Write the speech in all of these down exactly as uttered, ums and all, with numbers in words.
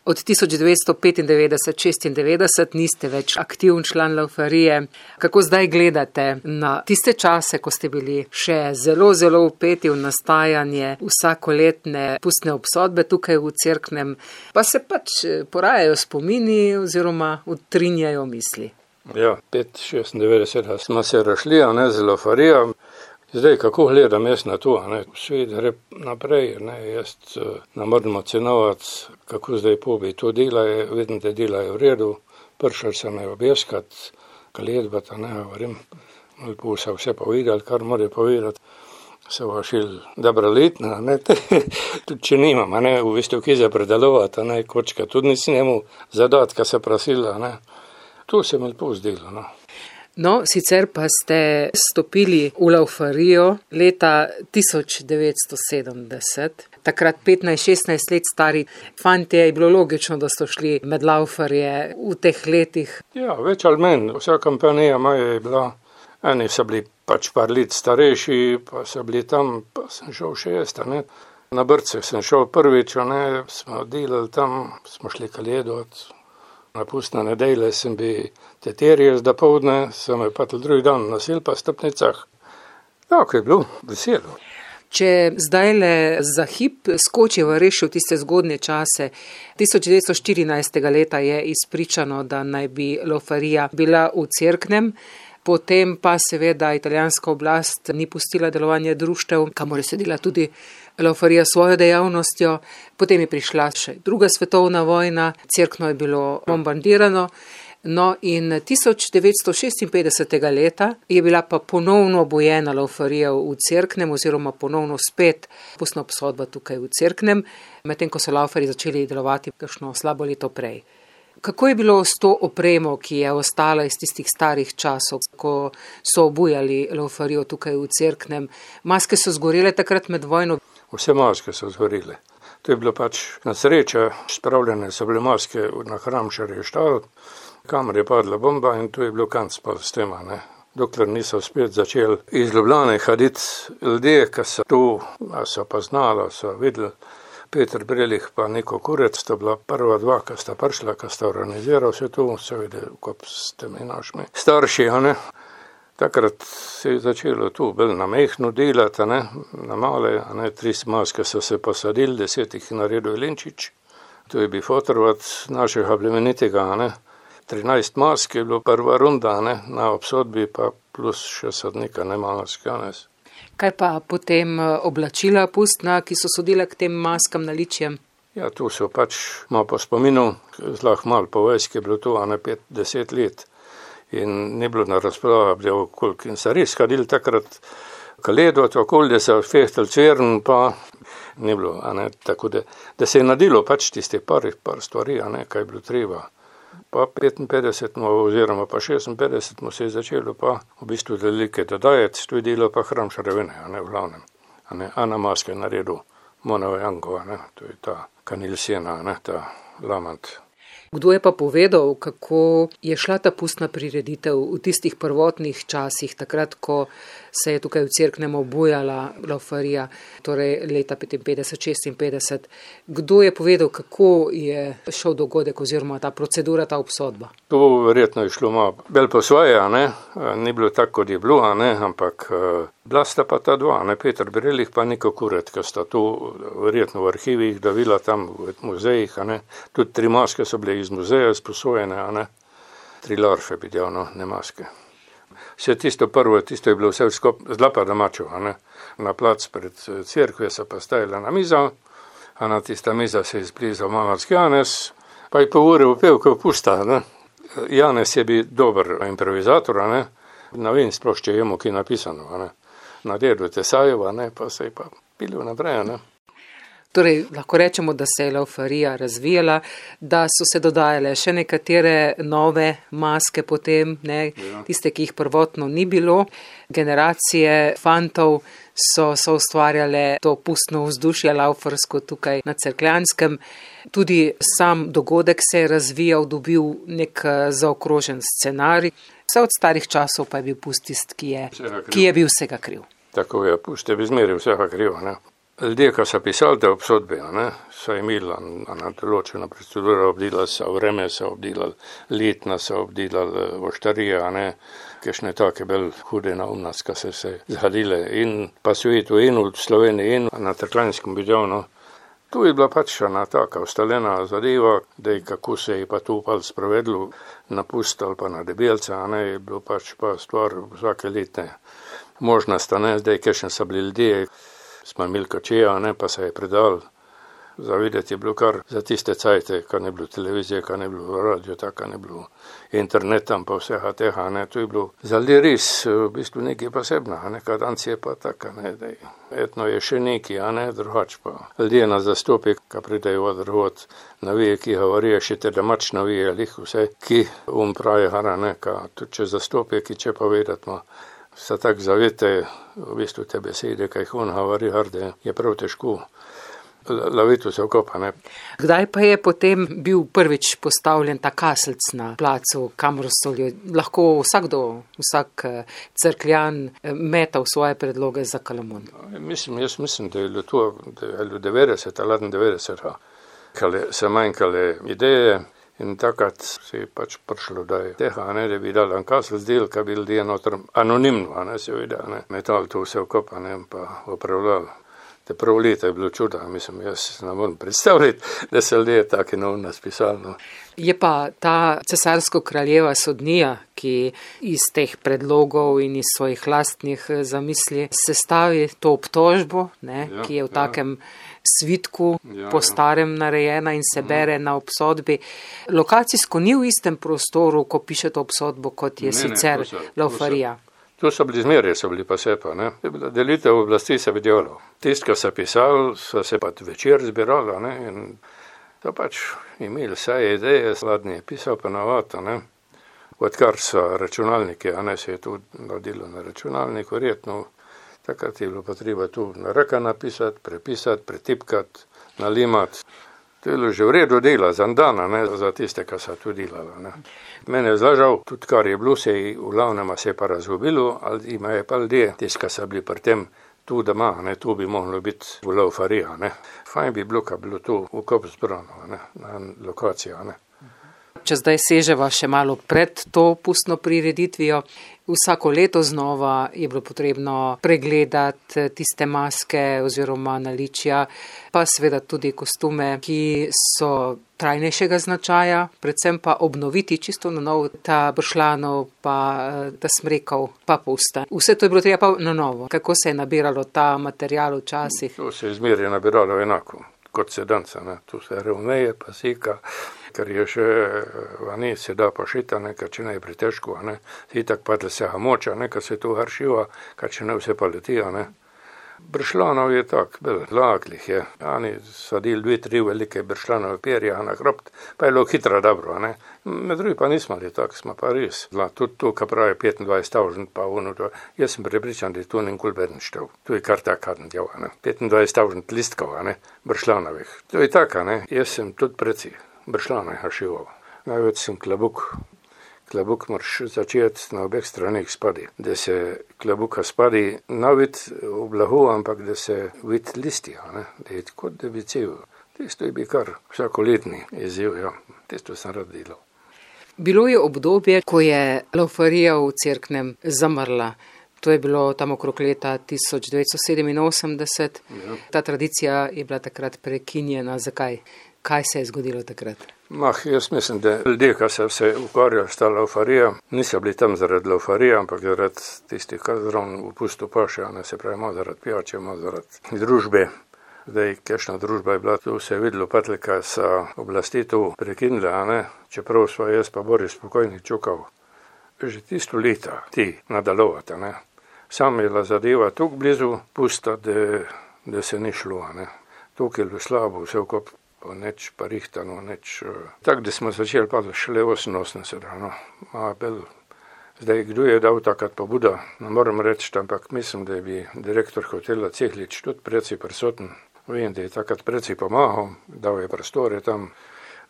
Od tisoč devetsto petindevetdeset šestindevetdeset niste več aktivn član Laufarije. Kako zdaj gledate na tiste čase, ko ste bili še zelo, zelo vpeti v nastajanje vsakoletne pustne obsodbe tukaj v Cerknem, pa se pač porajajo spomini oziroma utrinjajo misli? Ja, pet šestindevetdeset smo se rašli, a ne, z Laufarijo. Zdaj, kako gledam jaz na to, ne, svet gre naprej, ne, jaz ne moram ocenovati, kako zdaj pobi to delajo, vidim, da delajo v redu, prišel sem je objeskat, kaledbata, ne, govorim, malo po so vse povedali, kar morajo povedati, so vašil dobra letna, ne, tudi če nimam, ne, v bistvu kje za predelovati, ne, kočka, tudi nisem imel zadatka se prosila, ne, to se mi lepo zdelo, no. No, sicer pa ste stopili v Laufarijo leta tisoč devetsto sedemdeset, takrat petnajst šestnajst let stari fantje, je bilo logično, da ste šli med Laufarje v teh letih. Ja, več ali manj, vsa kompanija moja je bila, eni so bili pač par let starejši, pa so bili tam, pa sem šel še jaz, ne. Na Brce sem šel prvič, ne, smo delali tam, smo šli kaledovat. Na pustne nedelje sem bi teterje zda povdne, sem je pa tudi drugi dan nosil pa stopnicah. Tako je bilo, veselo. Če zdajle za hip skočiva reši v tiste zgodnje čase, tisoč devetsto štirinajstega leta je izpričano, da naj bi Laufarija bila v Cerknem, potem pa seveda italijanska oblast ni pustila delovanje društev, kamor je sedela tudi Laufarija svojo dejavnostjo, potem je prišla še druga svetovna vojna, Cerkno je bilo bombardirano, no in tisoč devetsto šestinpetdesetega leta je bila pa ponovno obojena Laufarija v Cerknem oziroma ponovno spet pustna obsodba tukaj v Cerknem, medtem ko so Laufarji začeli delovati kakšno slabo leto prej. Kako je bilo s to opremo, ki je ostala iz tistih starih časov, ko so obujali Laufarijo tukaj v Cerknem? Maske so zgorele takrat med vojno? Vse maske so zgorele. To je bilo pač na sreča, spravljene so bile maske na Hramšarje štal, kamor je padla bomba in to je bilo konc pa s tema, ne. Dokler niso spet začeli iz Ljubljane hoditi ljudje, ki so tu, so pa znali, so videli. Peter Brelih pa Niko Kurec, sta bila prva dva, ki sta prišla, ki sta organizirala vse to, seveda, kot ste mi našmi starši, a ne. Takrat se je začelo tu bolj na mehno delati, a ne, na male, a ne, tri maske so se posadili, deset jih naredil Lenčič, to je bil fotorovat našega plemenitega, a ne. trinajst mask je bilo prva runda, a ne, na obsodbi pa plus še sodnika, ne, malo skanec. Kaj pa potem oblačila pustna, ki so sodile k tem maskam naličjem? Ja, tu so pač malo po spominu, zlah malo po vojski je bilo to, a ne pet, deset let. In ni bilo na razprava, bilo koliko. In so res kadili takrat kaledovat, okolje so fehtali cvern, pa ni bilo, a ne, tako da, da se je nadilo pač tiste par, par stvari, a ne, kaj je bilo treba. Pa petinpetdeset oziroma pa šestinpetdeset se je začelo pa v bistvu velike dodajati, to je delo pa Hramšarjevine, a ne, v glavnem. A ne, Ana Maske naredil, Monova Jankova, ne, to je ta Kanil Sena, ne, ta Lamant. Kdo je pa povedal, kako je šla ta pustna prireditev v tistih prvotnih časih, takrat, ko se je tukaj v Cerknem obujala Laufarija, torej leta petinpetdeset šestinpetdeset. Kdo je povedal, kako je šel dogodek oziroma ta procedura, ta obsodba? To verjetno je šlo malo bolj po svoje, a ne, ni bilo tako, kot je bilo, a ne, ampak bila sta pa ta dva, ne, Peter Brelih pa Niko Kurec, ki sta tu verjetno v arhivih davila tam v muzejih, a ne, tudi tri maske so bile iz muzeja sposojene, a ne, tri larfe bi del, no, ne maske. Vse tisto prvo, tisto je bilo vse skup zlapa domačo, a ne, na plac pred cerkve so pa stajala na mizo, a na tista miza se je zblizal malarski Janez, pa je po uri upel, ko pusta, ne. Janez je bil dober improvizator, a ne, ne vem sploh, če je mu ki napisano, a ne. Naredil Tesajeva, ne, pa se je pa pilo naprej, ne. Torej, lahko rečemo, da se je Laufarija razvijala, da so se dodajale še nekatere nove maske potem, ne, ja. Tiste, ki jih prvotno ni bilo. Generacije fantov so, so ustvarjale to pustno vzdušje laufarsko tukaj na Cerkljanskem. Tudi sam dogodek se je razvijal, dobil nek zaokrožen scenarij. Vse od starih časov pa je bil pust tist, ki je, ki je bil vsega kriv. Tako je, pust je bi zmeril vsega kriv, ne. Ljudje, ki so pisali te obsodbe, ne, so imeli na določeno proceduro, obdelali so vreme, so obdelali letna, so obdelali voštarija, ne, kakšne take bolj hude naumnosti, ki so se zgodile in pa svetu in v Sloveniji in na Trklanskem Bidjonu. Tu je bila pač ena taka ustaljena zadeva, da je kako se je pa tu upal sprovedlo, na Pust ali pa na Debelca, ne, je bilo pač pa stvar vsake letne možnosti, ne, zdaj kakšne so bili ljudje, smo imeli kačeja, ne, pa se je predal. Zavideti je bilo kar za tiste cajte, kar ne bilo televizije, kar ne bilo radio, tako ne bilo interneta, pa vseha teha, ne, to je bilo za ljudi res v bistvu nekaj posebna, ne, kad danes je pa taka, ne, da je, etno je še neki, a ne, drugač pa. Ljudje na zastopi, ka pridejo od drugod, navije, ki govorijo, še te domač navije, lih vse, ki um pravi, hara, ne, ka tudi če zastopi, ki če povedat ma, se tak zavete, v bistvu te besede, kaj on govori, harde, je prav težko. Loviti se okopa, ne. Kdaj pa je potem bil prvič postavljen ta kaselc na placu, kamor so lahko vsakdo, vsak Cerkljan metal svoje predloge za Kalamon? Mislim, jaz mislim, da je to, da je devetdeset ali devetdeset, kale se manjkale ideje in takrat se je pač prišlo, da je teha, ne, da bi dal en kaselc del, ka bi ljudje noter anonimno, ne, seveda, ne, metal to vse okopa, ne, pa upravljal. Te prvo leta je bilo čuda, mislim, jaz ne moram predstavljati, da se ljudje take neumnosti pisali. No. Je pa ta cesarsko-kraljeva sodnija, ki iz teh predlogov in iz svojih lastnih zamisli sestavi to obtožbo, ne, ja, ki je v takem ja. svitku ja, po starem narejena in se bere na obsodbi. Lokacijsko ni v istem prostoru, ko piše to obsodbo, kot je ne, sicer ne, Laufarija. Tu so bili zmerje, so bili pa se pa, ne. Delitev oblasti se videlo. Tist, ki so pisali, so se pa večer zbirali, ne, in to pač imeli vse ideje, sladnje pisal pa navata, ne. Odkar so računalniki, a ne, se je tu nadilo na računalniku, verjetno, takrat je bilo pa treba tu na reka napisati, prepisati, pretipkati, nalimati. To je bilo že v redu dela, za dana, ne, za tiste, ki so tu delali, ne. Mene je zlažal, tudi kar je bilo, se je v glavnem se je pa razgubilo, ali ima je pa ljudje, tiste, ki so bili pri tem tu doma, ne, tu bi moglo biti v Laufarija, ne. Fajn bi bilo, ka bilo tu v Kop zbrano, ne, na lokacijo, ne. Če zdaj seževa še malo pred to pustno prireditvijo, vsako leto znova je bilo potrebno pregledati tiste maske oziroma naličja, pa seveda tudi kostume, ki so trajnejšega značaja, predvsem pa obnoviti čisto na novo ta bršljanov, pa ta smrekov, pa pusta. Vse to je bilo treba pa na novo. Kako se je nabiralo ta material včasih? To se je zmeraj nabiralo enako, kot se danca, ne. Tu se ravneje, pa sika, ker je še vani se da pošita, nekaj če ne je pretežko, ne. Itak padle se moča, nekaj se tu haršiva, kaj če ne vse pa letijo, ne. Bršljanov je tak, bel, laklih je. Ani sadili dve, tri velike bršljanove perja na hrobt, pa je bilo hitro dobro, ne. Med drugi pa nismo li tak, smo pa res. Tudi tu, ka pravi petindvajset tavžent, pa ono to, jaz sem prepričan, da je tu nikoli beden štev. Tu je kar taka djava, ne. petindvajset tavžent listkov, ne, bršljanovih. To je taka, ne. Jaz sem tudi preci bršljane hašival. Največ sem klobuk. Klobuk moraš začeti na obeh stranih spadi. Da se klobuka spadi navit v blahu, ampak da se vid listija, ne. Da je kot da bi cel. Tisto je bi kar vsakoletni izziv, ja. Tisto sem rad delal. Bilo je obdobje, ko je Laufarija v Cerknem zamrla. To je bilo tam okrog leta tisoč devetsto sedeminosemdeset. Ja. Ta tradicija je bila takrat prekinjena. Zakaj? Kaj se je zgodilo takrat? Mah, jaz mislim, da ljudje, ki so se ukvarjali s ta Laufarija, niso bili tam zaradi Laufarija, ampak zaradi tistih, ki zravno v pustu paše, ne, se pravi, malo zaradi pijače, malo zaradi družbe. Zdaj, kakšna družba je bila, tu se je videlo patle, kaj so oblasti tu prekinile, a ne, čeprav sva jaz pa Boris spokojni čukal. Že tisto leta ti nadalovati, ne. Sam je bila zadeva tukaj blizu pusta, da, da se ni šlo, a ne. Tukaj je bilo slabo, vse okop neč pa rihtano, neč. Tak, da smo začeli pa šele oseminosemdeset, no. A bel, zdaj, kdo je dal takrat pobuda, ne moram reči, ampak mislim, da je bi direktor hotela Cehlič tudi preci prisoten. Vem, da je takrat preci pomahal, dal je prostore tam,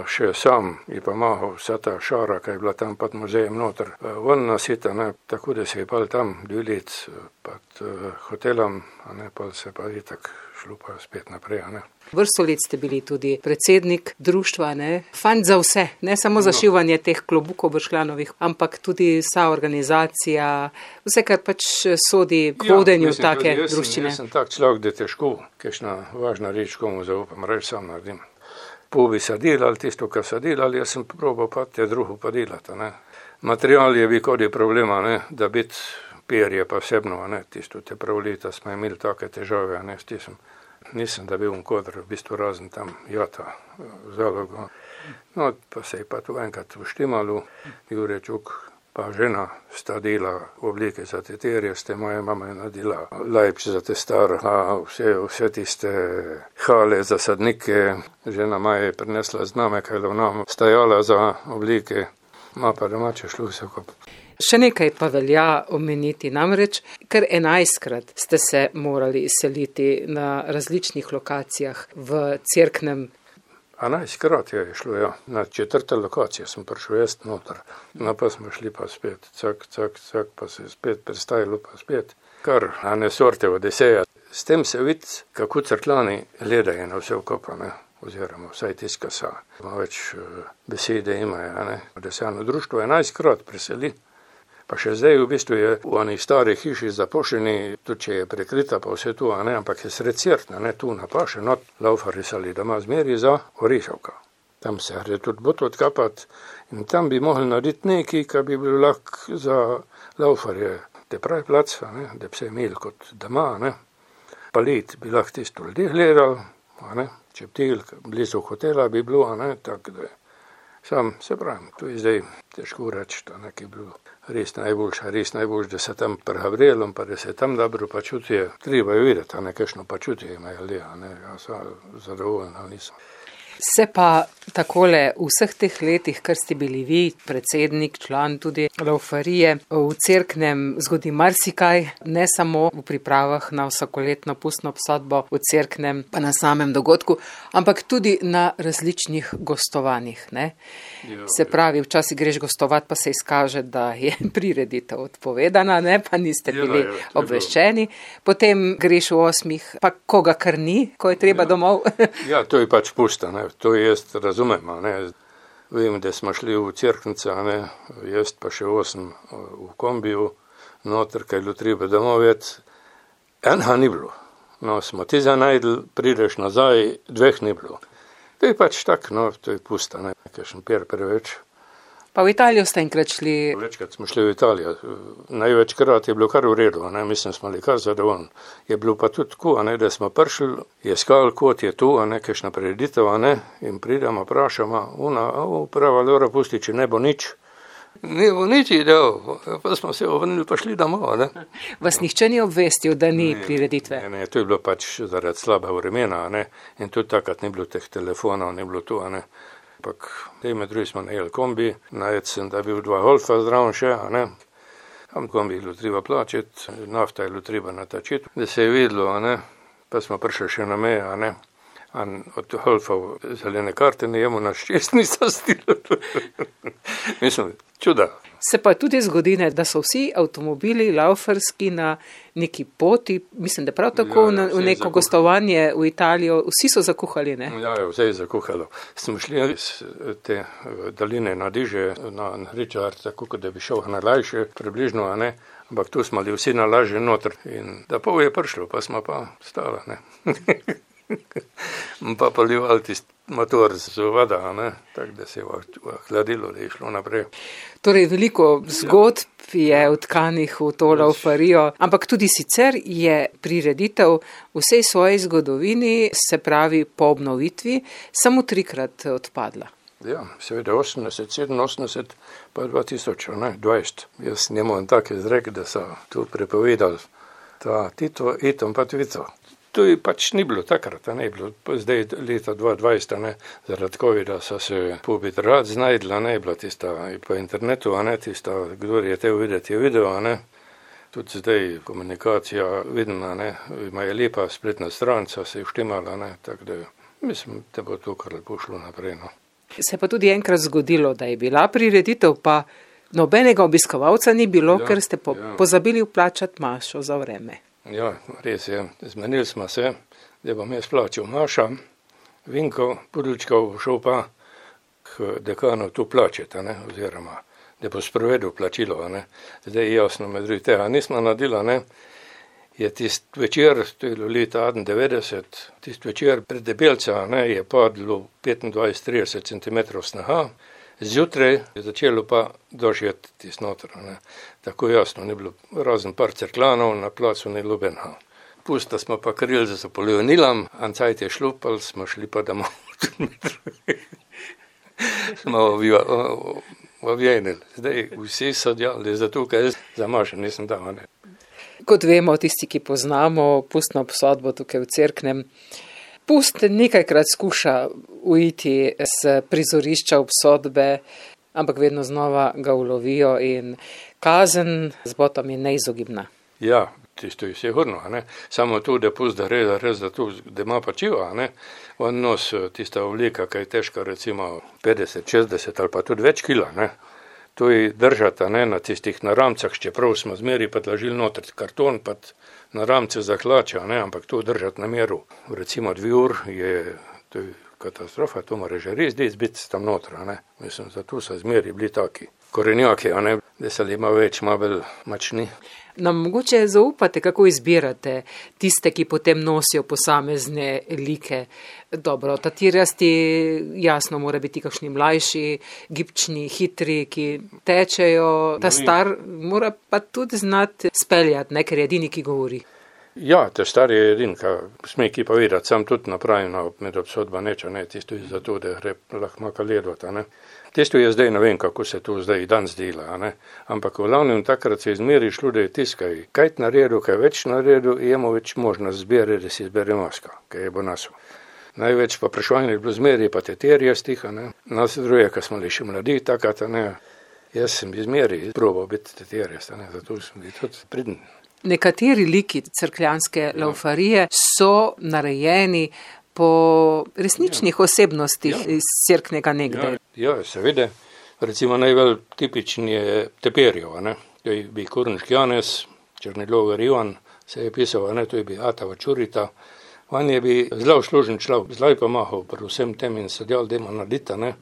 še sam je pomahal vsa ta šara, ki je bila tam pod muzejem noter. Ven nasita, ne, tako da se je pal tam dve let pod uh, hotelom, a ne, pal se pa je tak šlo pa spet naprej, a ne. Vrsto let ste bili tudi predsednik društva, ne? Fant za vse, ne samo za šivanje teh klobukov bršljanovih, ampak tudi vsa organizacija, vse, kar pač sodi k vodenju ja, take jaz druščine. Jaz sem tak človek, da težko, kakšna važna reč komu zaupam, reč sam naredim. Pol bi se delali tisto, kar se delali, jaz sem probal pa te drugo pa delati, ne. Material je bi kodi problema, ne, da biti perje pa vsebno, ne, tisto te prav leta smo imeli take težave, ne, s tisem. Nisem da bil v kodr, v bistvu razen tam jata zalogo. No, pa se je pa to enkrat vštimalo, Jure Čuk pa žena sta dela oblike za te terje, ste moja mama je nadela lajč za te star, vse, vse tiste hale za sadnike, žena maja je prinesla zname, kaj nam stajala za oblike, ma pa domače šlo vse kop. Še nekaj pa velja omeniti, namreč, ker enajstkrat ste se morali izseliti na različnih lokacijah v Cerknem. enajstkrat je šlo, ja. Na četrte lokacije sem prišel jaz noter. No pa smo šli pa spet, cak, cak, cak, pa se spet prestajalo pa spet. Kar, a ne sorte Odiseja. S tem se vidi, kako Cerklani gledajo na vse vkopane, oziroma vsaj tiska sa. Malo več uh, besede imajo, a ne. Odesejano društvo enajstkrat preseli. Pa še zdaj v bistvu je v onih starih hiši zapošeni, tudi če je prekrita pa vse tu, a ne, ampak je sred Cerkna, ne, tu na paše, not laufari sali doma zmeri za Orišavka. Tam se gre tudi bot odkapati in tam bi mogli narediti nekaj, kar bi bil lahko za laufarje, te pravi plac, a ne, da bi se imeli kot doma, a ne. Palit bi lahko tisto ljudi gledali, a ne, čeptil, blizu hotela bi bilo, a ne, tako da je. Sam se pravim, to je zdaj težko reči, da nekaj bilo res najboljša, res najboljša, da se tam prehavrelom, pa da se tam dobro počutijo. Treba je videti, a ne, kakšno počutje imajo ljudje, a ne, ja sem zadovoljen, ali nisem. Se pa takole v vseh teh letih, kar ste bili vi, predsednik, član tudi laufarije, v Cerknem zgodi marsikaj, ne samo v pripravah na vsakoletno pustno obsodbo v Cerknem, pa na samem dogodku, ampak tudi na različnih gostovanjih, ne. Jo, Se pravi, včasih greš gostovati, pa se izkaže, da je prireditev odpovedana, ne, pa niste bili jo, jo, obveščeni. Potem greš v osmih, pa koga kar ni, ko je treba jo. Domov. Ja, to je pač pusta, ne. To jaz razumem, a ne. Vem, da smo šli v Cerknice, a ne, jaz pa še osem v kombiju, noter, kaj je bilo treba domov vet. Enha ni bilo. No, smo ti za najdel, prideš nazaj, dveh ni bilo. To je pač tak, no, to je pusta, ne, kakšen per preveč. Pa v Italijo ste enkrat šli? Večkrat smo šli v Italijo. Največkrat je bilo kar v redu, ne, mislim, smo bili kar zadovoljni. Je bilo pa tudi tako, a ne, da smo prišli, je skal, kot je tu, a ne, kakšna prireditev, a ne, in pridemo, vprašamo, ona, uprava Lora pusti, če ne bo nič. Ne bo nič idel, pa smo se ovrnili, pa šli domov, ne. Vas nihče ni obvestil, da ni ne, prireditve? Ne, ne, to je bilo pač zaradi slaba vremena, a ne, in tudi takrat ni bilo teh telefonov, ni bilo tu, a ne. Ampak med drugi smo najeli kombi, najed sem, da je bil dva golfa zdraven še, a ne. Tam kombi je bilo treba plačiti, nafta je bilo treba natačiti, da se je videlo, a ne. Pa smo prišli še na meje, a ne. In od golfov zelene karte ne jemo na šest niso stili. Mislim, čuda. Se pa tudi zgodi, ne, da so vsi avtomobili laufarski na neki poti, mislim, da prav tako ja, ja, v neko gostovanje v Italijo, vsi so zakuhali, ne? Ja, ja, vse je zakuhalo. Smo šli iz te daline na Diže, na Richard, tako da bi šel na Lajše, približno, a ne, ampak tu smo bili vsi na Laže noter in da pol je prišlo, pa smo pa stala, ne. Pa polivali tisti motor z voda, ne, tako da se je hladilo, da je šlo naprej. Torej, veliko zgodb je vtkanih v to laufarijo, ampak tudi sicer je prireditev v vsej svoji zgodovini, se pravi po obnovitvi, samo trikrat odpadla. Ja, seveda osemdeset, sedeminosemdeset, pa dva tisoč, ne, dvajset. Jaz nemam tak izrek, da so tu prepovedali ta Tito, Itom pa Tvico. To je pač ni bilo takrat, ne bilo, zdaj leta dva dvajset, ne, zaradi covida so se pobit rad znajdla, ne, bila tista po internetu, a ne, tista, kdo je te videti, je video, a ne. Tudi zdaj komunikacija vidna, ne, ima je lepa spletna stran, so se je vštimala, ne, tako da mislim, da bo to kar lepo šlo naprej, no. Se pa tudi enkrat zgodilo, da je bila prireditev, pa nobenega obiskovalca ni bilo, ja, ker ste po, ja. pozabili vplačati mašo za vreme. Ja, res je. Zmenili smo se, da bom jaz plačal maša, Vinko Pudličkov šel pa k dekanu tu plačati, ne, oziroma da bo sprovedel plačilo, ne. Zdaj jasno med drugi tega nismo nadila, ne. Je tist večer, to je leta devetdeset, tist večer pred Debelca, ne, je padlo petindvajset do trideset centimetrov snaha, zjutraj je začelo pa dožjet tist noter, ne. Tako jasno, ni bilo razen par cerklanov, na placu ni lubenha. Pusta smo pa krili za polionilom, ancajt je šlupal, smo šli pa domov. Smo ovjenili. Zdaj vsi so delali, zato kaj jaz za mašo nisem dal, ne. Kot vemo, tisti, ki poznamo pustno obsodbo tukaj v Cerknem, pust nekajkrat skuša uiti z prizorišča obsodbe, ampak vedno znova ga ulovijo in kazen z botom je neizogibna. Ja, tisto je sigurno, ne. Samo tu, da pust da reda, res da tu, da ima pa čiva, ne. On nos tista oblika, kaj je težka recimo petdeset, šestdeset ali pa tudi več kila, ne. To je držata, ne, na tistih naramcah, čeprav smo zmeri pa tlažili noter karton, pa na ramce zaklača, ne, ampak to držati na meru. Recimo dve ur je, to je katastrofa, to mora že res biti tam noter, ne. Mislim, zato so zmeri bili taki korenjaki, a ne, da se ima več, ima bolj mačni. Nam mogoče zaupate, kako izbirate tiste, ki potem nosijo posamezne like. Dobro, tatirasti jasno mora biti kakšni mlajši, gibčni, hitri, ki tečejo. Ta star mora pa tudi znati speljati, ne, ker je edini, ki govori. Ja, ta star je edin, ka sme ki pa videti, sam tudi napravim med obsodba neča, ne, tisto je zato, da gre lahko maka ledvata, ne. Tisto je zdaj, ne vem, kako se to zdaj dan zdela, ne, ampak v glavnem takrat se izmeri šlo, da je tiskaj, kaj naredil, kaj več naredil, imamo več možnost zbere, da si izbere maska, kaj je bo nasu. Največ pa prešvaljnih bilo zmeri, pa teterje stiha, ne, nas druge, ka smo li še mladi, takata, ne, jaz sem izmeri probal biti teterje, ne, zato sem bil tudi pridn. Nekateri liki cerkljanske laufarije so narejeni po resničnih ja. osebnostih ja. iz Cerknega nekdaj. Ja, ja, seveda. Recimo najbolj tipični je Teperjev, ne. To je bi Kurniški Janez, Črnilogar Ivan, se je pisal, ne, to je bi Atava Čurita. On je bi zelo služen človek, zelo pomahal pri vsem tem in se delal, da ima narediti, ne.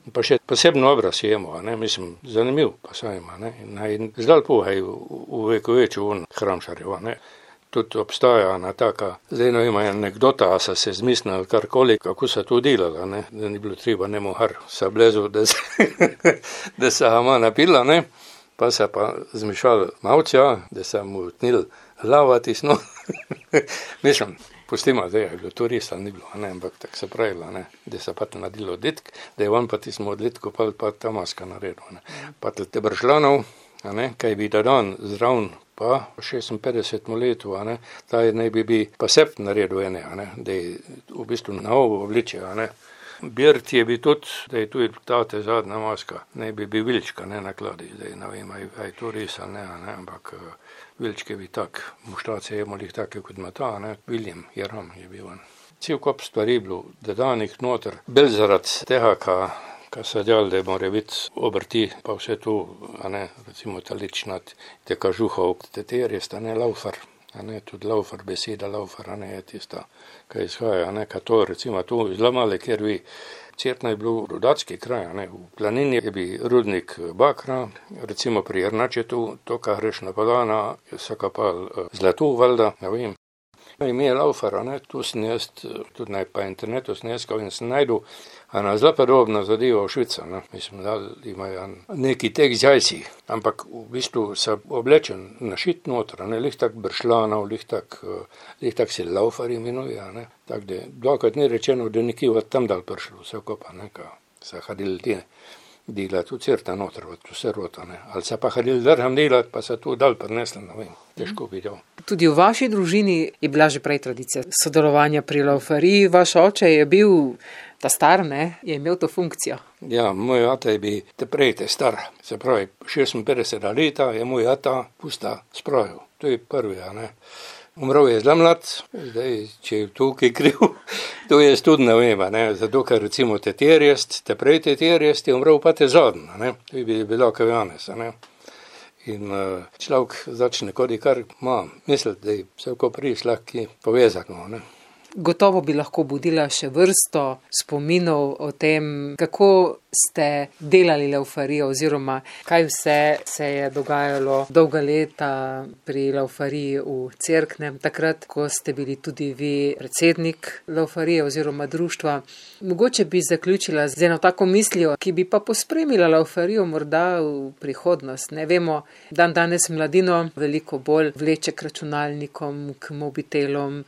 Pa še posebno obraz je imel, ne, mislim, zanimiv pa saj ima, ne, in zdaj pohaj v veku večju on Hramšarjev, ne. Tudi obstaja ena taka, zdaj no ima anekdota, a so se zmislili karkoli, kako so to delala, ne, da ni bilo treba nemo har sa blezu, da se, da se ima napila, ne, pa se pa zmišali mavča, da se mu tnil lavati sno, mislim, pustimo, da je bilo to res, ali ni bilo, ne, ampak tako se pravila, ne, da se pa te nadilo ditk, da je on pa tismo odlitko pa, pa ta maska naredil, ne. Pa te bršlanov, a ne, kaj bi da dan zravn, pa šestinpetdesetemu letu, a ne, ta je naj bi bi pa sept naredil ene, a ne, da je v bistvu na ovo obliče, a ne. Birt je bi tudi, da je tu ta te zadnja maska, naj bi bi Vilčka, ne, nakladi, zdaj ne vem, aj, aj to res, ali ne, a ne, ampak Vilčke bi tak, muštace je molih take kot ima ta, ne, William Jeram je bil on. Cel kop stvari bilo, da danih noter, bel zaradi tega, ka ka se delali, da mora biti obrti, pa vse to, a ne, recimo taličnat, te kažuhov, teterje sta, ne, laufar, a ne, tudi laufar, beseda laufar, a ne, je tista, kaj izhaja, a ne, ka to, recimo, to zelo male, ker bi Cerkna je bil rudarski kraj, a ne, v planini je bi rudnik bakra, recimo pri Jernačetu, to, ka greš na Polana, so kapali zlato, valjda, ne vem. Ime je laufar, a ne, tu sem jaz, tudi naj pa internetu sem jaz, in sem najdu, a na zelo podobno zadeva v Švica, ne, mislim, da imajo neki tek zjajci, ampak v bistvu se oblečen našit noter, ne, lih tak bršlanov, lih tak, lih tak se laufar imenuje, a ne, tak da, dvakrat ni rečeno, da nekje od tam dal prišlo, vse kopa, ne, ka se hadili ti, delati v Certa noter, vse rota, ne, ali se pa hadili drham delati, pa se tu dal prinesli, ne vem, težko bi dal. Tudi v vaši družini je bila že prej tradicija sodelovanja pri laufariji, vaš oče je bil ta star, ne, je imel to funkcijo. Ja, moj ata je bil te prej te star, se pravi, šestinpetdeseta leta je moj ata pusta spravil, to je prvi, a ne. Umrl je zelo mlad, zdaj, če je tukaj kriv, to jaz tudi ne vem, ne, zato ker recimo te terjest, te prej te terjest je umrl pa te zadnji, ne, to je bilo kao Janez, ne. In uh, človek začne kodi kar ima misliti, da je vse ko priješ lahko povezano, ne. Gotovo bi lahko budila še vrsto spominov o tem, kako ste delali Laufarijo oziroma kaj vse se je dogajalo dolga leta pri Laufariji v Cerknem, takrat, ko ste bili tudi vi predsednik Laufarije oziroma društva. Mogoče bi zaključila z eno tako mislijo, ki bi pa pospremila Laufarijo morda v prihodnost. Ne vemo, dan danes mladino veliko bolj vleče k računalnikom, k mobitelom,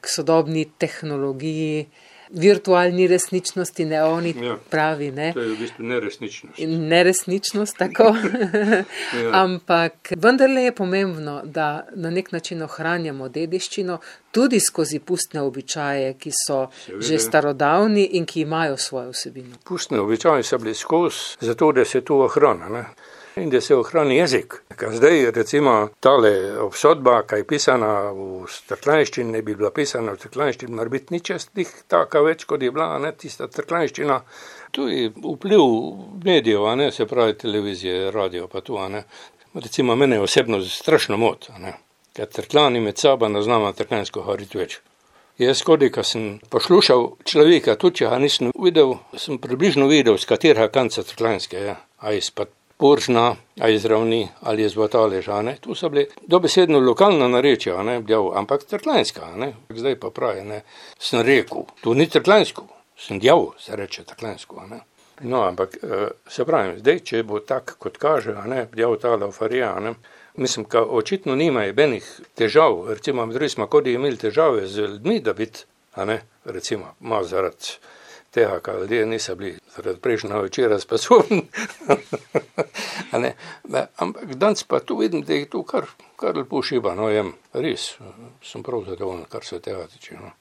k sodobni tehnologiji, virtualni resničnosti, ne oni ja, pravi, ne. To je v bistvu neresničnost. Neresničnost, tako. ja. Ampak vendarle je pomembno, da na nek način ohranjamo dediščino, tudi skozi pustne običaje, ki so Seveda. Že starodavni in ki imajo svojo vsebino. Pustne običaje so bili skozi, zato da se to ohrana, ne. In da se ohrani jezik. Zdaj recimo tale obsodba, kaj je pisana v trklanščini, ne bi bila pisana v trklanščini, mora biti ničestih taka več, kot je bila, ne, tista trklanščina. Tu je vpliv medijev, ne, se pravi televizije, radio pa tu, ne. Recimo mene osebno strašno mot, ne, ker trklani med sabo ne znamo trklansko govoriti več. Jaz kodi, ko sem poslušal človeka, tudi če ga nisem videl, sem približno videl, z katerega kanca trklanske je, a izpad Poržna, a iz Ravni, ali iz Vataleža, ne. Tu so bili dobesedno lokalna narečja, ne, bjav, ampak trklanska, ne. Zdaj pa pravi, ne, sem rekel, to ni trklansko, sem djav, se reče trklansko, ne. No, ampak se pravim, zdaj, če bo tak, kot kaže, ne, bjav ta Laufarija, ne, mislim, ka očitno nimajo benih težav, recimo, drugi smo kodi imeli težave z ljudmi, da biti, a ne, recimo, malo zaradi tega, kaj ljudje niso bili zaradi prejšnjega večera sposobni. Ampak danes pa tu vidim, da je to kar, kar lepo šiba, no, jem, res, sem prav zadovoljen, kar se tega tiče, no.